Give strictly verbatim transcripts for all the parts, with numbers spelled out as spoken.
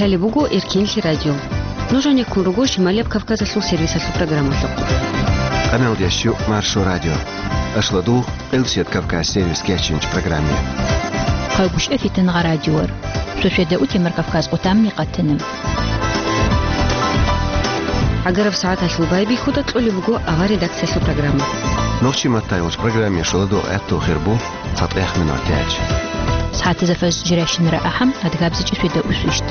Гьале буго Эркенлъи радио. Нуж гьанеккун руго Шималияб Кавказалъул сервисалъул программалъухъ. Къаналдеш Маршо радио. Ашладу, Къилсият Кавказ сервис кечинч программе. Хъайгушъа фитангъа радиор. Сосиада утемар Кавказ къутамни къатана. Агараб сагӀаталъул байбихьуда кьолеб буго авар редакциялъул программа. Нохчи маттайгъулч программе шоладу гӀатту хирбу. ЦатӀехъ минутач. СагӀатазда фажр жирайщинара ахӀам, адгабзичӀи светда усвищт.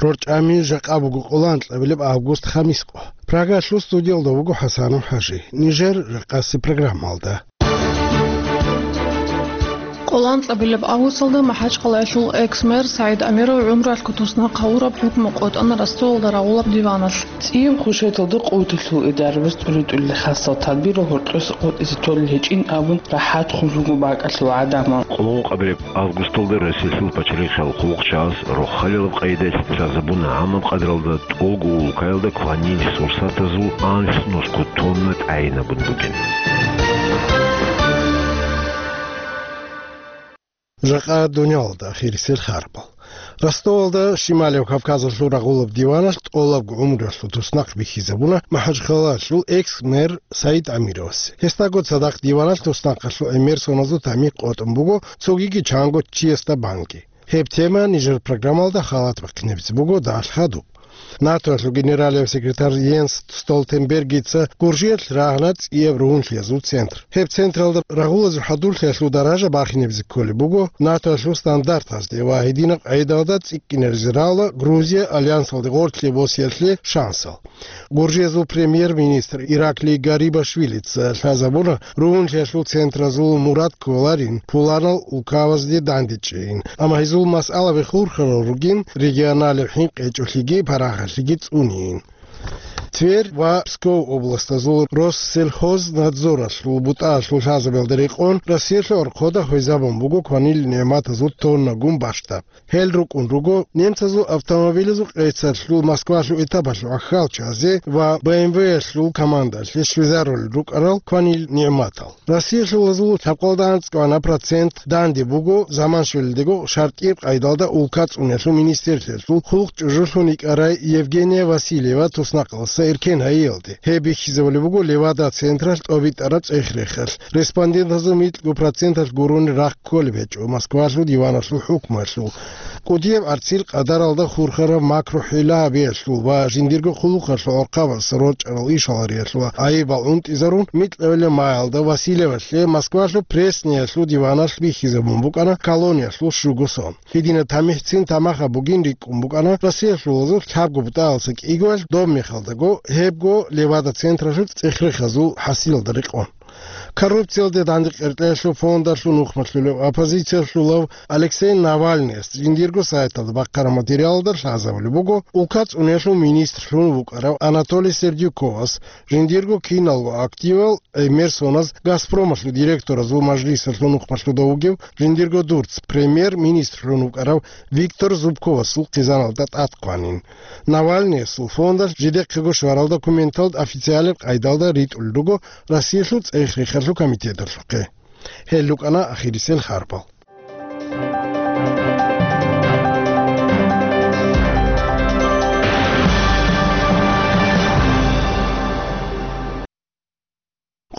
РорчӀами жакъа буго къоло анкьабилеб август, хамискъо. Прагалъул студиялда вуго ХӀасанов ХӀажи. Нижер жакъаси программалда. Къоло анкьабилеб августалда МахӀачхъалаялъул экс-мэр СагӀид Амиров гӀумруялъго туснахъ гьавураб хӀукму къотӀана Ростовалда рагъулаб диваналъ. ЦӀияб хушаяталда къуваталъул идарабаз тӀури-тӀурили хасал тадбирал гьоркьоса къотӀизе толел гьечӀин абун рахӀат хъулъулго бакӀалъул гӀадамал. Къоло анкьабилеб августалда Россиялъул пачалихъал хъулухъчагӀаз рохалилаб къайдаялъ лъазабуна гӀамаб къадралда тӀолго улкаялда кванил сурсатазул анлънусго тонна тӀагӀинабун бугин. Жакъа дуниялалда ахирисел хабарал. Ростовалда Шималияб Кавказалъул рагъулаб диваналъ тӀолабго гӀумруялъул туснахъ бихьизабуна МахӀачхъалаялъул экс-мэр СагӀид Амировасе. Гьесдаго цадахъ диваналъ туснахъалъул гӀемер соназул тамихӀ къотӀун буго, цогиги чанго чиясда банги. Гьеб тема нижер программалда халат бахъинабизе буго далъ хадуб. НАТОялъул генералияб секретарь Йенс Столтенбергица Гуржиялъ рагьана цӀияб ругьунлъиязул центр. Гьеб централда рагъулазул хӀадурлъиялъул даража бахинабизе кколеб буго НАТОялъул стандартазде ва гьединаб къайдалда цӀикӀкӀинаризе рала Грузия альянсалде гъорлъе босиялъе шансал. Гуржиязул премьер-министр Ираклий Гарибашвилица лъазабуна ругьунлъиялъул центразул мурад кколарин пуланал улкабазде дандечӀейин, амма гьезул масъалаби хурхарал ругин, регионалеб хӀинкъи гьечӀолъиги парагьалъиги цӀунейин. Тверь ва Псков областазул Россельхознадзоралъул бутӀаялъул лъазабиялда рекъон Россиялъул орхода хвезабун буго кванил нигӀматазул тоннагун бащдаб. Гьел рукӀун руго немцазул автомобилазул къецалъул Москвалъул этапалъул ахьалчазе ва Б М В-ялъул командалъе щвезарулел рукӀарал кванил нигӀматал. Россиялъулазул лъабкъалда анцӀкӀвана процент данде буго заман щвелелдего шартӀияб къайдалда улка цӀуниялъул министрлъиялъул хъулухъ чӀужулъун йикӀарай Евгения Васильева туснахъалдаса эркен гьайиялде. Гьеб бихьизабулеб буго Левада централъ тӀобитӀараб цӀех-рехалъ. Респондентазул микьго проценталъ гурони рахъ кколеб гьечӀо Москвалъул диваналъул хӀукмуялъул. КӀудияб гӀарцил къадаралда хурхараб макру-хӀила гьабиялъул ва жиндирго хъулухъалъул гӀорхъабаз рорчӀарал ишал гьариялъул гӀайибал унтӀизарун, микьабилеб маялда Васильевалъе Москвалъул Пресниялъул диваналъ бихьизабун букӀана колониялъул щуго сон. Гьединаб тамихӀцин тамахаб бугин рикӀкӀун букӀана Россиялъулазул лъабго бутӀаялдаса кӀигоялъ, доб мехалдаго гьебго Левада централъул цӀех-рехазул хӀасилалда рекъон. Коррупциялде дандекъеркьеялъул фондалъул нухмалъулев оппозициялъулав Алексей Навальныяс жиндирго сайталда бахъараб материалалда лъазабулеб буго, улка цӀуниялъул министрлъун вукӀарав Анатолий Сердюковас жиндирго киналго активал гӀемер соназ Газпромалъул директоразул мажлисалъул нухмалъуда вугев жиндирго дурц премьер-министрлъун вукӀарав Виктор Зубковасул хъизаналда тӀад хъванин. Навальныясул фондалъ жидехъего щварал документал официалаб къайдалда ритӀулел руго Россиялъул цӀех-рехалъул комитеталъухъе. Гьел рукӀана ахирисел хабарал.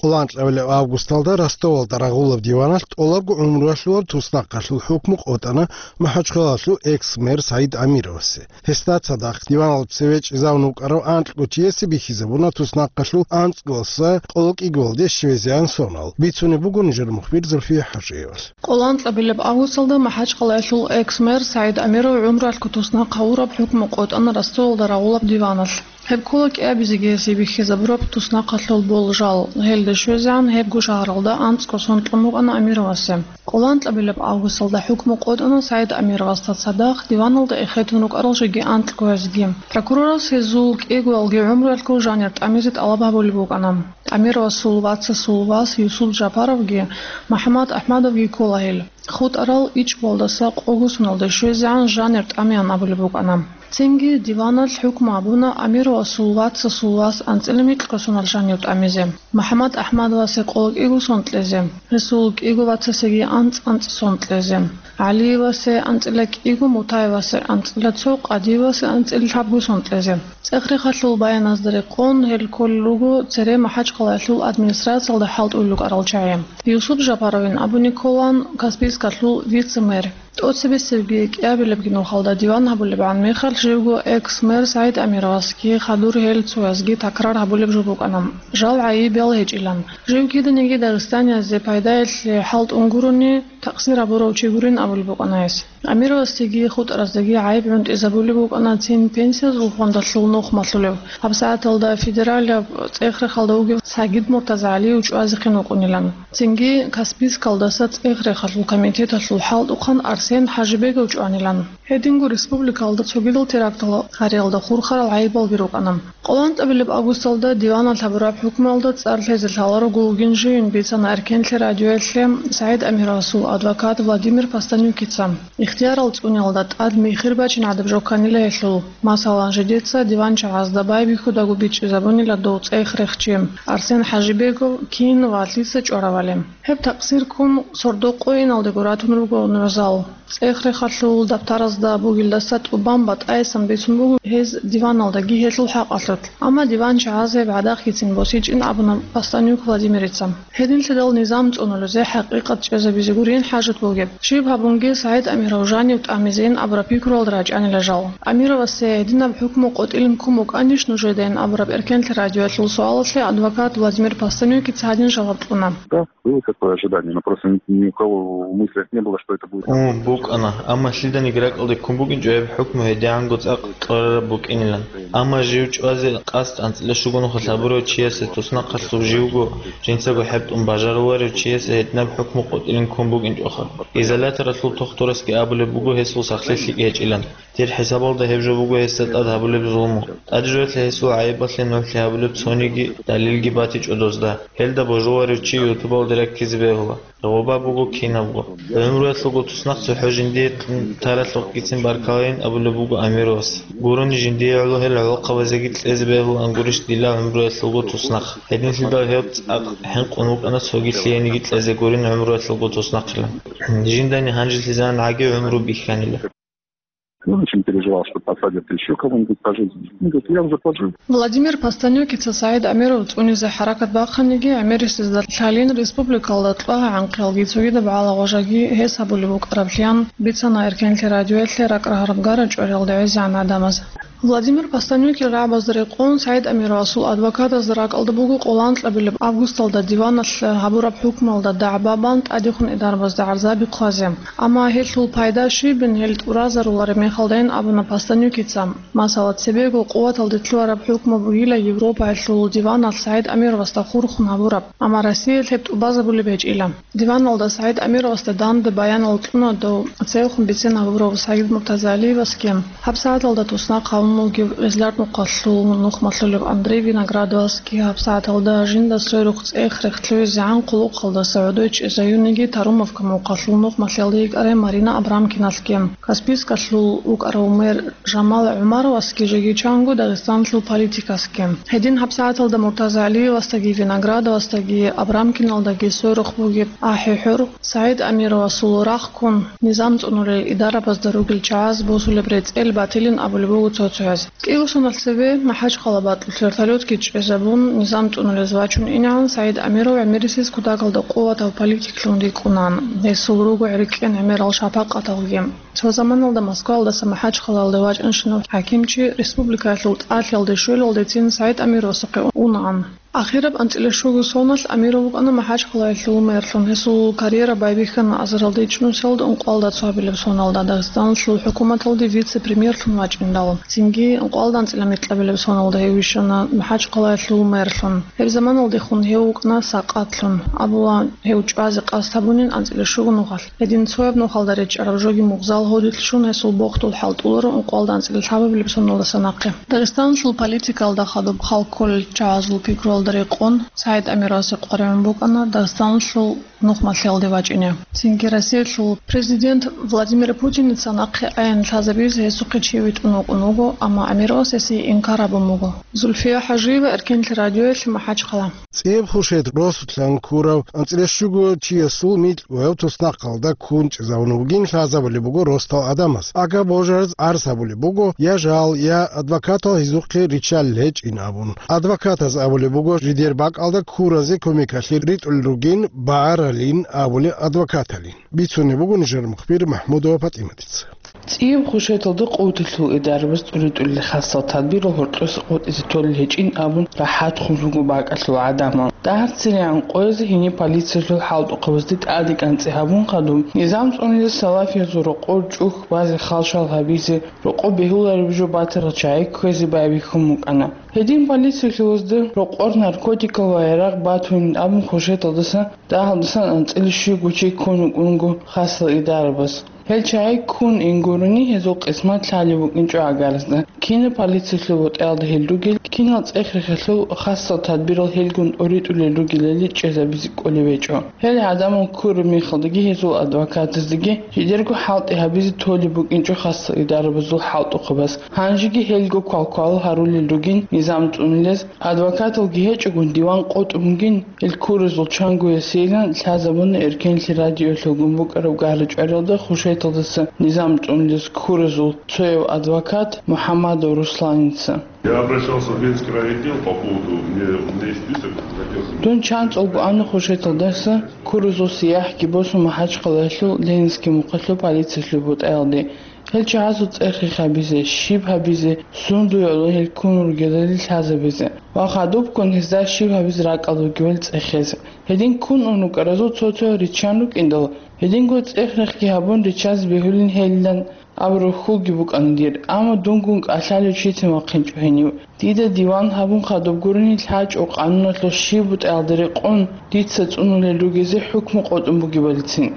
Къоло анкьабилеб августалда Ростовалда рагъулаб диваналъ тӀолабго гӀумруялъулаб туснахъалъул хӀукму къотӀана МахӀачхъалаялъул экс-мэр СагӀид Амировасе. Гьесда цадахъ диваналда цеве чӀезавун вукӀарав анкьго чиясе бихьизабуна туснахъалъул анцӀгоялдаса къоло кӀигоялде щвезегӀан сонал. Бицунеб буго нижер мухбир Зульфия ХӀажиевалъ. Къоло анкьабилеб августалда МахӀачхъалаялъул экс-мэр СагӀид Амиров гӀумруялъго туснахъ гьавураб хӀукму къотӀана Ростовалда рагъулаб диваналъ. Гьеб ккола кӀиабизеги гьесие бихьизабураб туснахъалъул болжал. Гьелда щвезегӀан гьебго шагьаралда анцӀго сон кьун букӀана Амировасе. Къоло анкьабилеб августалда хӀукму къотӀана СагӀид Амировасда цадахъ диваналда эхетун рукӀарал жеги анкьгоязги. Прокурорас гьезул кӀигоялги гӀумруялъго жанир тӀамизе тӀалаб гьабулеб букӀана. Амировасул вацасул вас Юсуп Жапаровги МухӀаммад АхӀмадовги ккола гьел. ХутӀарал ичӀбалдаса къого соналда щвезегӀан жанир тӀамеян абулеб букӀана. Цинги диваналъ хӀукму гьабуна Амировасул вацасул вас анцӀила микьго соналъ жанив тӀамизе, МухӀаммад АхӀмадовасе къоло кӀиго сон кьезе, гьесул кӀиго вацасеги анцӀ-анцӀ сон кьезе, ГӀалиевасе анцӀила кӀиго, Мутаевасе анцӀила цо, Къадиевасе анцӀила лъабго сон кьезе. ЦӀех-рехалъул баяназда рекъон, гьел кколел руго цере МахӀачхъалаялъул администрациялда хӀалтӀулел рукӀарал чагӀи. Юсуп Жапаровин абуни кколаан Каспийскалъул вице-мэр. ТӀоцебесебги кӀиабилебги нухалда диван гьабулебгӀан мехалъ живго экс-мэр СагӀид Амировасги хадур гьел цоязги такрар гьабулеб жо букӀана, жал гӀайибал гьечӀилан. Жив киданиги дагъистаниязде пайдаялъе хӀалтӀун гурони, такъсир гьабурав чи гурин абулеб букӀана гьес. Амировасдеги хутӀараздаги гӀайиб гӀунтӀизабулеб букӀана цин пенсиязул фондалъул нух малъулев, гьабсагӀаталда федералияб цӀех-рехалда вугев Сагид МуртазагӀалиев чӀвазехъин вукӀунилан. Цинги Каспийскалдаса цӀех-рехалъул комитеталъул хӀалтӀухъан Арсен ХӀажибегов чӀванилан. Гьединго республикалда цогидал терактал гьариялда хурхарал гӀайибалги рукӀана. КъолантӀабилеб августалда диваналъ гьабураб хӀукмуялда цӀар лъезе лъаларого вугин живин бицана Эркенлъи радиоялъе СагӀид Амировасул адвокат Владимир Постанюкица. Ихтиярал цӀуниялда тӀад михир бачин гӀадаб жо кканила гьелъул. Масалан, жидеца диванчагӀазда байбихьудаго бичӀчӀизабунила дов цӀех-рех чи Арсен ХӀажибегов кин ва лъица чӀваравали. Гьеб такъсир ккун сордо къойиналдего ратун руго нугӀзал. ЦӀех-рехалъул даптаразда бугелдаса тӀубан батӀаясан бицун буго гьез диваналдаги гьелъул хӀакъалъулъ. Амма диванчагӀаз гьеб гӀадахъгицин босичӀин абуна Постанюк Владимирица. Гьединлъидал низам цӀунулезе хӀакъикъат чӀезабизе гурин хӀажат бугеб. Щиб гьабунги СагӀид Амиров жанив тӀамизейин абураб пикруялда рачӀанила жал. Амировасе гьединаб хӀукму къотӀилин ккун букӀанищ нужедайин абураб Эркенлъи радиоялъул суалалъе адвокат Владимир Постанюкица гьадин жаваб кьуна. Да, было такое ожидание, но просто ни, ни у кого в мыслях не было, что это будет. Ун, букӀана, амма лъиданиги ракӀалде ккун букӀинчӀо гьеб хӀукму гьедигӀанго цӀакъ кьурараб букӀинилан. Амма жив чӀвазе къасд анцӀила щуго нухалъ гьабурав чиясе туснахъалъув живго жинцаго хӀетӀун бажаруларев чиясе гьединаб хӀукму къотӀилин ккун букӀинчӀоха. Изоляторалъул тухтурасги абулеб буго гьесул сахлъи лъикӀ гьечӀилан. Дир хӀисабалда гьеб жо буго гьесда тӀад гьабулеб зулму. ТӀадежоялъе гьесул гӀайибалъе нугӀлъи гьабулеб цониги далилги батичӀо дозда. Гьелда божуларев чи ютубалде раккизе бегьула. Гъоба буго кинабго. ГӀумруялъулго туснахъ цохӀо жиндие кьун таралъухъгицин баркалайин абулеб буго Амировас. Гурони жиндие гӀоло гьел гӀолохъабазеги кьезе бегьулаан гурищ дила гӀумруялъулго туснахъ. Гьединлъидал гьев цӀакъ хӀинкъун вукӀана цоги лъиениги кьезе гурин гӀумруялъулго туснахъилан. Жиндани гьанжелъизан гӀаги гӀумру бихьанила. Он очень переживал, что посадят еще кого-нибудь пожизненно. Он говорит, я уже пожил. Владимир Постанюкица СагӀид Амиров цӀунизе хӀаракат бахъаниги, гӀемерисезда лъалин республикалда кьвагӀа гӀанкъиялги цогидаб гӀалагъважаги гьес гьабулеб букӀараблъиян бицана Эркенлъи радиоялъе ракӀ рагьараб гара чӀвариялда гӀезегӀан гӀадамаз. Владимир Постанюкил рагӀабазда рекъон СагӀид Амировасул адвокатазда ракӀалда буго къолантӀабилеб августалда диваналъ гьабураб хӀукмуялда дагӀба бан тӀадехун идарабазда гӀарзаби хъвазе. Амма гьелъул пайда щибин гьел тӀуразарулареб мехалдайин абуна Постанюкица. Масала, цебего къуваталде лъугьараб хӀукму бугила Европаялъул диваналъ СагӀид Амировасда хурхун гьабураб, амма Россиялъ гьеб тӀубазабулеб гьечӀила. Диваналда СагӀид Амировасда данде баянал кьуна дов цевехун бицен гьабурав Сагид Муртазалиевасги, гьабсагӀаталда туснахъ гьавун вугев Гъезлар нухалъул нух малъулев Андрей Виноградовасги, гьабсагӀаталда жинда сверухъ цӀех-рех лъугӀизегӀан хъулухъалдаса гӀодой чӀезаюниги Тарумовка мухъалъул нух малъиялде йикӀарай Марина Абрамкиналъги, Каспийскалъул вукӀарав мэр Жамал ГӀумаровасги жеги чанго Дагъистаналъул политикасги. Гьедин гьабсагӀаталда Муртазалиевасдаги Виноградовасдаги Абрамкиналдаги сверухъ бугеб ахӀи-хӀур СагӀид Амировасул рахъ ккун, низам цӀунулел идарабазда ругел чагӀаз босулеб рецӀел батилин абулеб буго цо-цояз. КӀиго соналъ цебе МахӀачхъала бакьулъ вертолетги чӀезабун, низам цӀунулез вачун инегӀан СагӀид Амиров гӀемерисез кутакалда къуватав политиклъун рикӀкӀунаан. Гьесул руго гӀеркӀен гӀемерал шапакъаталги. Цо заманалда Москваялдаса МахӀачхъалаялде вачӀанщинав хӀакимчи республикаялъул тӀалъиялде щвелалдецин СагӀид Амировасухъе унаан. Ахираб анцӀила щуго соналъ Амиров вукӀана МахӀачхъалаялъул мэрлъун. Гьесул карьера байбихьана азаралда ичӀнусиялда ункъоялда цоабилеб соналда Дагъистаналъул хӀукуматалде вице-премьерлъун вачӀиндал. Цинги ункъоялда анцӀила микьабилеб соналда гьев вищана МахӀачхъалаялъул мэрлъун. Гьеб заманалдехун гьев вукӀана сакъатлъун. Абула, гьев чӀвазе къасд гьабунин анцӀила щуго нухалъ. Гьедин цояб нухалда речӀчӀараб жоги мугъзал гьодилъ щун гьесул бохдул хӀалтӀуларо ункъоялда анцӀила лъабабилеб соналдаса нахъе. Дагъистаналъул политикаялда хадуб хал кколел чагӀазул пикруялда Рекъон СагӀид Амировасе къваригӀун букӀана Дагъистаналъул нухмалъиялде вачӀине. Цинги Россиялъул президент Владимир Путиница нахъе аян лъазабизе гьесухъе чи витӀун вукӀун вуго, амма Амировас гьесие инкар гьабун буго. Зульфия ХӀажиева, Эркенлъи радиоялъе, МахӀачхъала. ЦӀияб хушет росулъан ккурав анцӀила щуго чиясул микьгояв туснахъалда ккун чӀезавун вугин лъазабулеб буго росдал гӀадамаз. Ага божараз гӀарз гьабулеб буго, я жал, я адвокатал гьезухъе риччалел гьечӀин абун. Адвокатаз абулеб буго, жидер бакӀалда ккуразе кумекалъе ритӀулел ругин багӀаралин абулеб адвокаталин. Бицунеб буго нижер мухбир МахӀмудова ПатӀиматица. ЦӀияб хушеталда къуваталъул идарабаз тӀуритӀулел хасал тадбирал гьоркьоса къотӀизе толел гьечӀин абун рахӀат хун руго бакӀалъул гӀадамал. ДагӀарцинегӀан къоязе гьениб полициялъул хӀалтӀухъабазде тӀаде кӀанцӀи гьабун хадуб, низам цӀунулес салафиязул рокъор чӀухь базе халшал гьабизе, рокъоб бегьулареб жо батарал чагӀи кквезе байбихьун букӀана. Гьедин полициялъулазда рокъор, наркотикал ва ярагъ батунин абун хушеталдаса дагьалдасан анцӀила щуго чи ккун вукӀунго хасал идарабаз. Гьел чагӀи ккун ин гурони, гьезул къисмат лъалеб букӀинчӀо агарзда. Кинаб полициялъул бутӀаялда гьел ругел, кинал цӀех-рехалъул хасал тадбирал гьелгун тӀуритӀулел ругелали чӀезабизе кӀолеб гьечӀо. Гьел гӀадамал ккураб мехалдаги гьезул адвокатаздаги жидерго хӀалтӀи гьабизе толеб букӀинчӀо хасал идарабазул хӀалтӀухъабаз. Гьанжеги гьелго квалквал гьарулел ругин низам цӀунулез, адвокаталги гьечӀогун диван къотӀун бугин. Гьел ккуразул чанго гьесейилан лъазабуна Эркенлъи радиоялъулгун букӀараб гара-чӀвариялда хушеталдаса низам цӀунулез ккуразул цояв адвокат МухӀаммадов Русланица. Я обращался в Ленинский райотдел по поводу, мне, у меня есть список, хотел бы Дун чанцӀулго ана хушеталдаса ккуразул сияхӀги босун МахӀачхъалаялъул Ленинский мухъалъул полициялъул бутӀаялде. Гьел чагӀазул цӀех-рехабизе, щиб гьабизе, сундуе гӀоло гьел ккун ругелали лъазабизе ва хадубккун гьезда щиб гьабизе ракӀалда бугебали цӀехезе. Гьедин ккун ун рукӀаразул цо-цо риччан рукӀиндал, гьединго цӀех-рехги гьабун риччазе бегьулин гьелилан абураб хьулги букӀана дир, амма дунгун кӀалъалев чицин вахъинчӀо гьенив. Дида диван гьабун хадуб гурони лъачӀо къануналъул щиб бутӀаялда рекъон дица цӀунулел ругезе хӀукму къотӀун бугебалицин.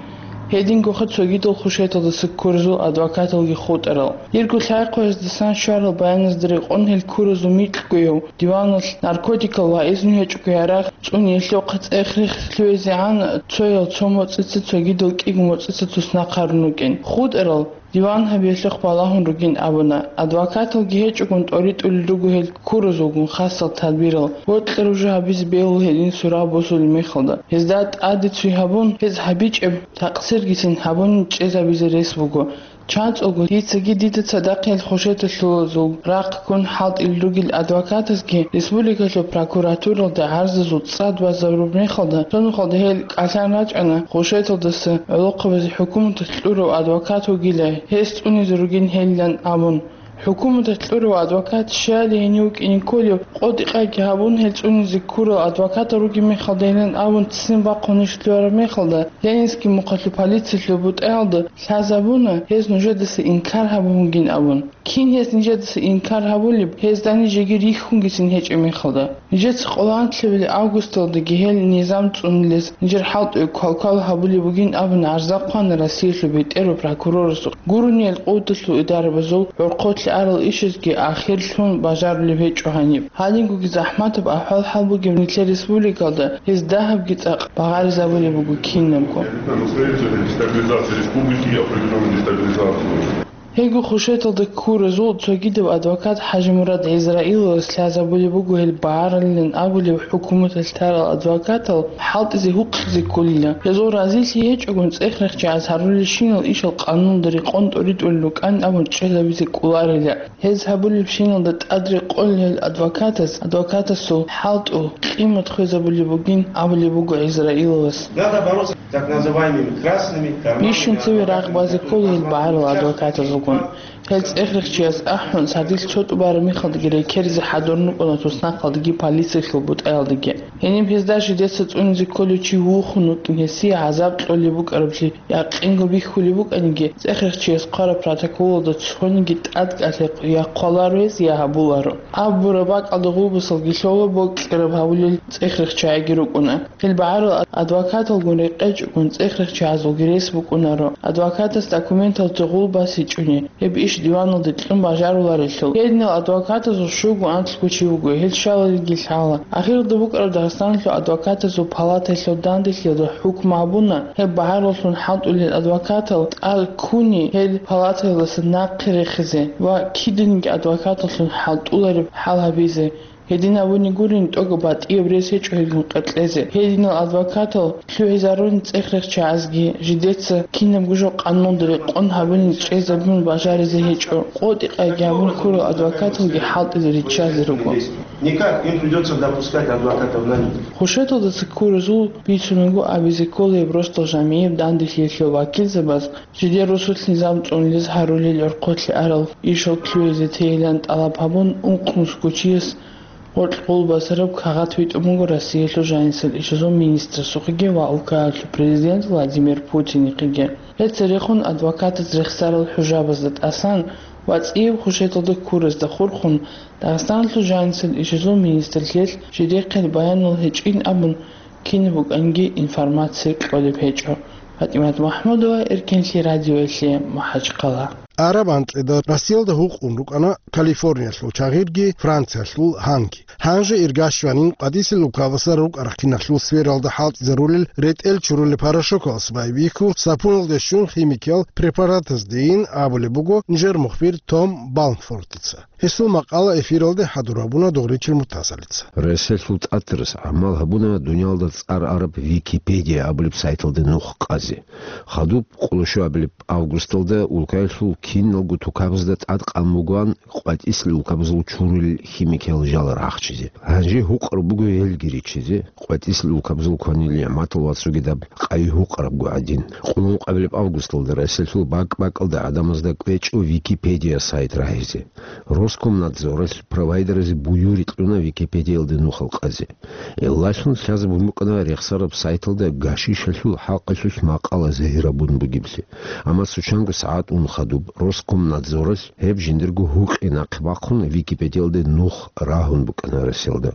Гьедингоха цогидал хушеталдаса ккуразул адвокаталги хутӀарал. Дирго лъай-хъвездасан щварал баяназда рекъон гьел ккуразул микьгояв диваналъ наркотикал ва изну гьечӀого ярагъ цӀуниялъухъ цӀех-рех лъугӀизегӀан цоял цо моцӀица цогидал кӀиго моцӀица туснахъ гьарун рукӀин. ХутӀарал диван гьабиялъухъ балагьун ругин абуна. Адвокаталги гьечӀогун тӀоритӀулел руго гьел ккуразулгун хасал тадбирал, бокьараб жо гьабизе бегьула гьедин сураб босулеб мехалда. Гьезда тӀаде цоги гьабун, гьез гьабичӀеб такъсиргицин гьабунин чӀезабизе рес буго. ЧанцӀулго дицаги дида цадахъ гьел хушеталъулазул рахъ ккун хӀалтӀулел ругел адвокатазги республикалъул прокуратуралда гӀарзазул цӀад базарураб мехалда, цо нухалда гьел кӀалъан рачӀана, хушеталдаса гӀолохъабазе хӀукуматалъ кьурав адвокат вугила, гьес цӀунизе ругин гьелилан абун. ХӀукуматалъ кьурав адвокат щай гьенив вукӀине кколев, къо-дикъаги гьабун, гьел цӀунизе ккурал адвокатал ругеб мехалдайилан абун ццин бахъун иш лъугьараб мехалда, Ленинский мухъалъул полициялъул бутӀаялда лъазабуна, гьез нужедаса инкар гьабун бугин абун. Кин гьез нижедаса инкар гьабулеб, гьезда нижеги рихьунгицин гьечӀеб мехалда? Нижеца къоло анлъабилеб августалдаги гьел низам цӀунулез нижер хӀалтӀуе квалквал гьабулеб бугин абун гӀарза хъвана Россиялъул бетӀерав прокурорасухъ. Гурони гьел къуваталъул идарабазул гӀорхъолъи арал ишазги ахирлъун бажарулеб гьечӀо гьаниб. Гьадингоги захӀматаб ахӀвал-хӀал бугеб нилъер республикалда гьез дагьабги цӀакъ багъаризабулеб буго кинабго. Дестабилизация республики, определённую дестабилизацию. Гьелго хушеталда ккуразул цогидав адвокат ХӀажимурад ГӀизраиловас лъазабулеб буго гьел багъаралилан абулеб хӀукуматалъ тарал адвокатал хӀалтӀизе гьукъизе кколила. Гьезул разилъи гьечӀогун цӀех-рехчагӀаз гьарулелщинал ишал къануналда рекъон тӀоритӀулел рукӀан абун чӀезабизе кӀоларила. Гьез гьабулебщиналда тӀад рекъолел адвокатас адвокатасул хӀалтӀу, къимат хвезабулеб бугин абулеб буго ГӀизраиловас. Надо бороться так называемыми красными карманами. Бищун цеве рагъ базе ккола гьел багӀарал адвокатазулгун. Гьел цӀех-рехчияс ахӀун, сардилъ цо тӀубараб мехалдаги рекеризе хӀадурун рукӀуна туснахъалдаги полициялъул бутӀаялдаги. Гьениб гьезда жидеца цӀунизе кколев чи вухун вукӀин гьесие гӀазаб кьолеб букӀараблъи якъинго бихьулеб букӀаниги, цӀех-рехчияс хъвараб протоколалда цониги тӀад кӀалъе я хъваларо гьес, я гьабуларо. Абураб бакӀалда гъулбасалги лъола, бокьараб гьабулел цӀех-рехчагӀиги рукӀуна. Гьел багӀарал адвокаталгун рекъечӀогун цӀех-рехчагӀазулги рес букӀунаро адвокатас документалда гъулбас гьечӀони. Гьеб иш диваналде кьун бажаруларелъул. Гьединал адвокатазул щуго анлъго чи вуго, гьел щалалиги лъала. Ахиралда букӀараб Дагъистаналъул адвокатазул палатаялъул данделъиялда хӀукму гьабуна, гьеб багьараллъун хӀалтӀулел адвокатал тӀад ккуни гьел палатаялдаса нахъе рехизе ва киданиги адвокаталлъун хӀалтӀулареб хӀал гьабизе. Гьедин абуни гурин, тӀокӀаб батӀияб рес гьечӀо гьелгун къеркьезе. Гьединал адвокатал лъугӀизарун цӀех-рехчагӀазги, жидеца кинабго жо къануналда рекъон гьабуни чӀезабун бажаризе гьечӀо. КъотӀи-къайги гьабун ккурал адвокаталги хӀалтӀизе риччазе руго. Никак, им придётся допускать адвокатов на них. Хушеталдаса ккуразул бицунаго абизе ккола гьеб росдал жамигӀияб данделъиялъул вакилзабаз жидер росулъ низам цӀунулез гьарулел гӀорхъолъе арал ишал лъугӀизе тейилан тӀалаб гьабун, ункънусго чияс гъоркь гъол басараб кагъат витӀун буго Россиялъул жанисел ишазул министрасухъеги ва улкаялъул президент Владимир Путинихъеги. Гьеб церехун адвокатаз рехсарал хӀужабазда тӀасан ва цӀияб хушеталда ккуразда хурхун, Дагъистаналъул жанисел ишазул министрлъиялъ жидехъе баянал гьечӀин абун, кинаб букӀанги информация кьолеб гьечӀо. ПатӀимат МахӀмудова, Эркенлъи радиоялъе, МахӀачхъала. Араб анкьида Россиялда гьукъун рукӀана Калифорниялъул чагъирги Франциялъул гьанги. Гьанже ирга щванин къватӀисел улкабазда рукӀарахъиналъул сфералда хӀалтӀизарулел ретӀел чурулел порошокалас байбихьу, сапуналде щун химикиял препаратаздейин абулеб буго нижер мухбир Том Балмфортица. Гьесул макъала эфиралде хӀадур гьабуна Догъричил Муртазалица. Россиялъул тӀатарас гӀамал гьабуна дуниялда цӀар араб Википедия абулеб сайталде нух къазе. Хадуб къоло щуабилеб августалда улкаялъул киналго тукабазда тӀадкъан бугоан къватӀисел улкабазул чурулел химикиял жал рахчизе. Гьанже гьукъараб буго гьелги риччизе, къватӀисел улкабазул кванил нигӀматал ва цогидаб къайи гьукъарабго гӀадин. Къуллукъабилеб августалда Россиялъул бакӀ-бакӀалда гӀадамазда кӀвечӀо Википедия сайт рагьизе. Роскомнадзоралъ провайдеразе буюрги кьуна Википедиялде нухал къазе. Гьелдалъун лъазабун букӀана рехсараб сайталда гашишалъул хӀакъалъулъ макъала загьирабун бугеблъи. Амма цо чанго сагӀат ун хадуб Роскомнадзоралъ гьеб жиндирго гьукъи нахъе бахъун Википедиялде нух рагьун букӀана Россиялда.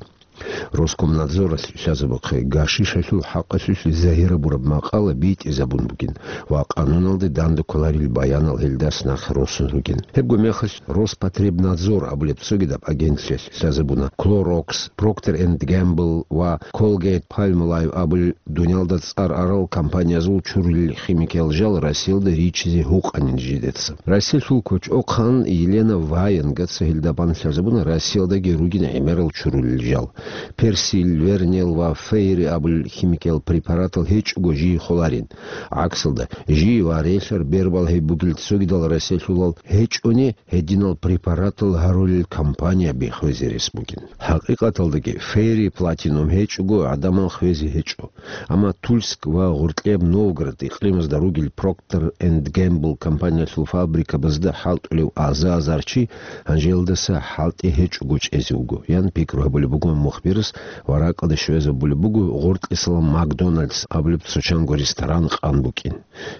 Роскомнадзоралъ лъазабухъе гашишалъул хӀакъалъулъ загьирабураб макъала битӀизабун бугин ва къануналде данде кколарел баянал гьелдас нахъе росун ругин. Гьебго мехалъ Роспотребнадзор абулеб цогидаб агентлъиялъ лъазабуна Clorox, Procter and Gamble ва Colgate-Palmolive абулел дуниялда цӀар арал компаниязул чурулел химикиял жал Россиялда риччизе гьукъанин жидеца. Россиялъул кочӀохъан Елена Ваенгаца гьелда бан лъазабуна Россиялдаги ругин гӀемерал чурулел жал. Персил, Вернел ва Фейри абулел химикиял препаратал гьечӀого жий холарин. ГӀаксалда, жий ва релълъар бербал гьеб бугел цогидал россиялъулал гьечӀони, гьединал препаратал гьарулел компания биххвезе рес бугин. ХӀакъикъаталдаги, Фейри Платинум гьечӀого гӀадамал хвезе гьечӀо. Амма Тульск ва Гъоркьеб Новгород икълимазда ругел Procter and Gamble компаниялъул фабрикабазда хӀалтӀулев аза-азар чи гьанжелдаса хӀалтӀи гьечӀого чӀезе вуго, ян пикру гьабулеб буго мухбирас ва ракӀалде щвезабулеб буго Гъоркьисалан Макдоналдс абулеб цо чанго ресторан къан букӀин.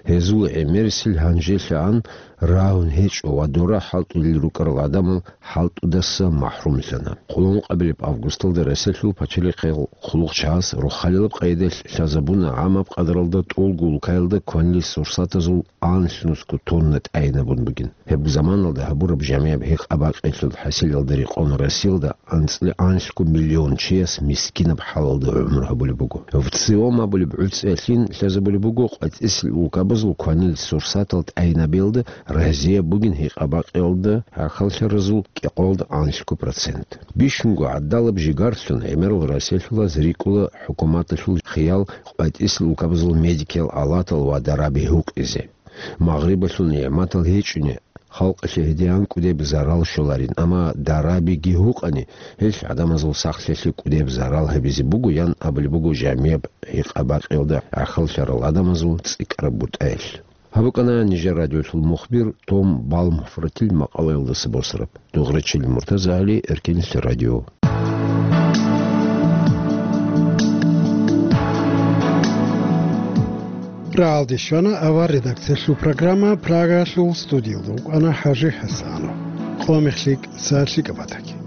Гьезул гӀемерисел гьанжелъагӀан рагьун гьечӀо ва дора хӀалтӀулел рукӀарал гӀадамал хӀалтӀудаса махӀрумлъана. Къуллукъабилеб августалда Россиялъул пачалихъел хъулухъчагӀаз рохалилаб къайдаялъ лъазабуна гӀамаб къадралда тӀолго улкаялда кванил сурсатазул анлънусго тонна тӀайинабун бугин. Гьеб заманалда гьабураб жамигӀаб гьекъа-бакъиялъул хӀасилалда рекъон Россиялда анцӀила анлъго миллион чияс мискинаб хӀалалда гӀумру гьабулеб буго. ВЦИОМ абулеб гӀуцӀиялъин лъазабулеб буго къватӀисел улкабазул кванил сурсатал тӀайинабиялда разияб бугин гьекъа-бакъиялда гӀахьаллъаразул кӀикъоялда анлъго процент. Бищунго гӀадалаб жигарлъун гӀемерал Россиялъулаз рикӀкӀуна хӀукуматалъул хиял къватӀисел улкабазул медикиял алатал ва дараби гьукъизе. Магърибалъул нигӀматал гьечӀони, халкъалъе гьедигӀан кӀудеб зарал щоларин, амма дарабиги гьукъани, гьелъ гӀадамазул сахлъиялъе кӀудеб зарал гьабизе буго, ян абулеб буго жамигӀаб гьекъа-бакъиялда гӀахьаллъарал гӀадамазул цӀикӀкӀараб бутӀаялъ. Гьаб букӀана нижер радиолъул мухбир Том Балмфортил макъалаялдаса босараб. Дугърачил Муртазагьали, Эркенлъи радио. Рагьалде щвана авар редакциялъул программа. Прагалъул студиялда вукӀана ХӀажи ХӀасанов. Къо мехлъи, са лъикӀаб батаги.